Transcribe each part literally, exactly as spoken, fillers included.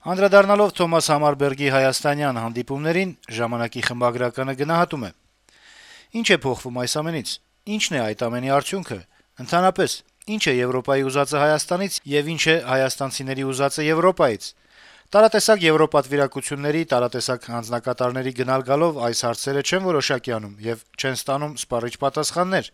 Անդրադառնալով Թոմաս Համարբերգի հայաստանյան հանդիպումներին, «Ժամանակ»-ի խմբագրականը գնահատում է. - «Ինչ է փոխվում այս ամենից, ինչն է այդ ամենի արդյունքը, ընդհանրապես, ինչ է Եվրոպայի ուզածը Հայաստանից եւ ինչ է հայաստանցիների ուզածը Եվրոպայից: Տարատեսակ եվրոպատվիրակությունների, տարատեսակ հանձնակատարների գնալ-գալով այս հարցերը չեն որոշակի անում եւ չեն ստանում սպառիչ պատասխաններ: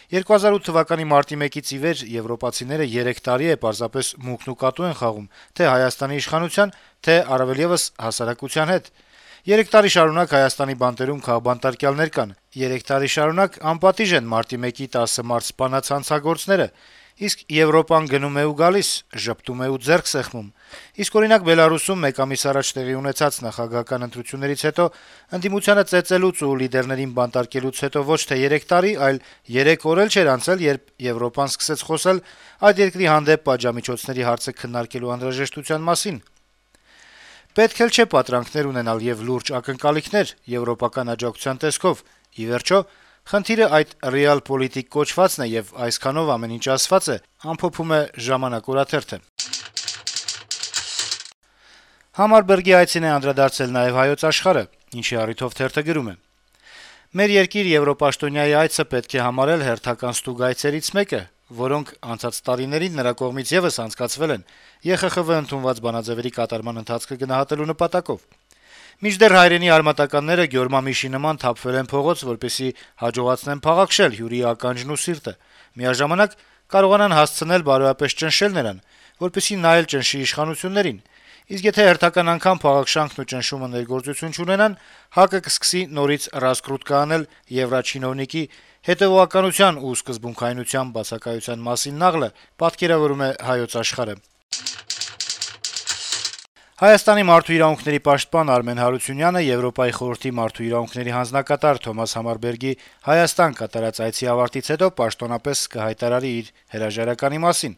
երկու հազար ութ թվականի մարտի մեկից ի վեր եվրոպացիները երեք տարի է պարզապես մուկն ու կատու են խաղում թե Հայաստանի իշխանության, թե առավել եւս հասարակության հետ: Երեք տարի շարունակ Հայաստանի բանտերում քաղբանտարկյալներ կան, երեք տարի շարունակ անպատիժ են մարտի մեկի տասը մարտ սպանած հանցագործները, իսկ Եվրոպան գնում է ու գալիս, ժպտում է ու ձեռք սեղմում: Իսկ, օրինակ, Բելարուսում մեկ ամիս առաջ տեղի ունեցած նախագահական ընտրություններից հետո ընդդիմությանը ծեծելուց ու լիդերներին բանտարկելուց հետո ոչ թե երեք տարի, այլ երեք օր էլ չէր անցել, երբ Եվրոպան սկսեց խոսել այդ երկրի հանդեպ պատժամիջոցների հարցը քննարկելու անհրաժեշտության մասին: Պետք էլ չէ պատրանքներ ունենալ եւ լուրջ ակնկալիքներ եվրոպական աջակցության տեսքով: Ի վերջո, խնդիրը այդ «ռեալ-պոլիտիկ» կոչվածն է, եւ այսքանով ամեն ինչ ասված է»: Համարբերգի այցին է անդրադարձել նաեւ «Հայոց Աշխարհ»-ը, ինչի առիթով թերթը գրում է. - «Մեր երկիր եվրոպաշտոնյայի այցը պետք է համարել հերթական ստուգ այցերից մեկը, որոնք անցած տարիներին նրա կողմից եւս անցկացվել են Է Խ Խ Վ ընդունված բանաձեւերի կատարման ընթացքը գնահատելու նպատակով: Մինչդեռ հայրենի արմատականները գյորմամիշի նման թափվել են փողոց, որպեսզի հաջողացնեն փաղաքշել հյուրի ականջն ու սիրտը, միաժամանակ կարողանան հասցնել բարոյապես ճնշել նրան, որպեսզի նա էլ ճնշի իշխանություններին: Իսկ եթե հերթական անգամ փաղաքշանքն ու ճնշումը ներգործություն չունենան, ՀԱԿ-ը կսկսի նորից «ռասկրուտկա» անել եվրաչինովնիկի հետեւողականության ու սկզբունքայնության բացակայության մասին նաղլը»: Հայաստանի մարդու իրավունքների պաշտպան Արմեն Հարությունյանը Եվրոպայի խորհրդի մարդու իրավունքների հանձնակատար Թոմաս Համարբերգի Հայաստան կատարած այցի ավարտից հետո պաշտոնապես կհայտարարի իր հրաժարականի մասին: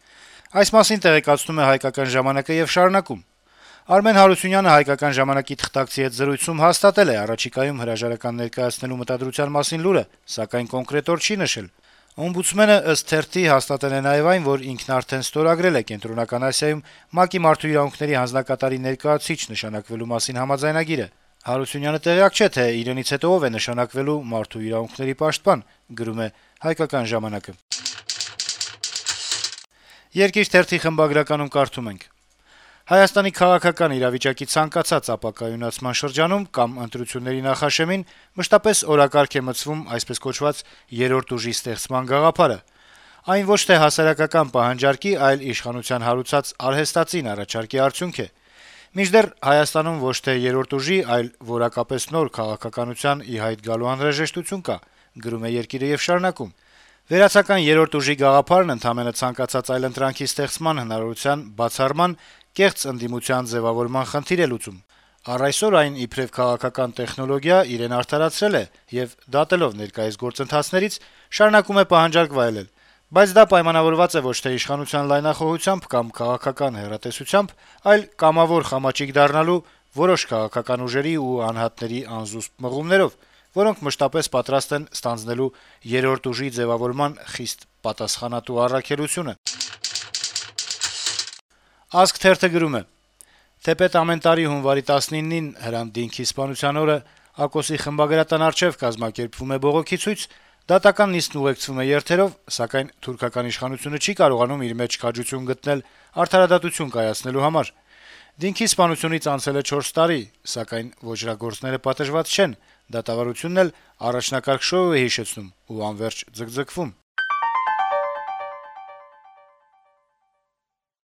Այս մասին տեղեկացնում է «Հայկական ժամանակ»-ը եւ շարունակում. - «Արմեն Հարությունյանը «Հայկական ժամանակ»-ի թղթակցի հետ զրույցում հաստատել է առաջիկայում հրաժարական ներկայացնելու մտադրության մասին լուրը, սակայն կոնկրետ օր չի նշել: Օմբուդսմենը, ըստ թերթի, հաստատել է նաեւ այն, որ ինքն արդեն ստորագրել է Կենտրոնական Ասիայում ՄԱԿ-ի Մարդու իրավունքների հանձնակատարի ներկայացուցիչ նշանակվելու մասին համաձայնագիրը: Հարությունյանը տեղյակ չէ, թե իրենից հետո ով է նշանակվելու մարդու իրավունքների պաշտպան»: «Երկիր» թերթի խմբագրականում կարդում ենք. - «Հայաստանի քաղաքական իրավիճակի ցանկացած ապակայունացման շրջանում կամ ընտրությունների նախաշեմին մշտապես օրակարգ է մտցվում այսպես կոչված երրորդ ուժի ստեղծման գաղափարը: Այն ոչ թե հասարակական պահանջարկի, այլ իշխանության հարուցած արհեստածին առաջարկի արդյունք է: Մինչդեռ Հայաստանում ոչ թե երրորդ ուժի, այլ որակապես նոր քաղաքականության ի հայտ գալու անհրաժեշտություն կա: Վերացական երրորդ ուժի գաղափարն ընդամենը ցանկացած այլընտրանքի ստեղծման հնարավորության բացառման, կեղծ ընդդիմության ձեւավորման խնդիր է լուծում: Առ այսօր այն, իբրեւ քաղաքական տեխնոլոգիա, իրեն արդարացրել է եւ, դատելով ներկայիս գործընթացներից, շարունակում է պահանջարկ վայելել: Բայց դա պայմանավորված է ոչ թե իշխանության լայնախոհությամբ կամ քաղաքական հեռատեսությամբ, այլ կամավոր խամաճիկ դառնալու, որոշ քաղաքական ուժերի ու անհատների անզուսպ մղումներով, որոնք մշտապես պատրաստ են ստանձնելու երրորդ ուժի ձեւավորման խիստ պատասխանատու առաքելությունը»: «Ազգ» թերթը գրում է. - «Թեպետ ամեն տարի հունվարի տասնինին Հրանտ Դինքի սպանության օրը ԱԿՕՍ-ի խմբագրատան առջեւ կազմակերպվում է բողոքի ցույց, դատական նիստն ուղեկցվում է երթերով, սակայն թուրքական իշխանությունը չի կարողանում իր մեջ քաջություն գտնել արդարադատություն կայացնելու համար: Դինքի սպանությունից անցել է չորս տարի, սակայն ոճրագործները պատժված չեն, դատավարությունն էլ առաջնակարգ շոու է հիշեցնում ու անվերջ ձգձգվում: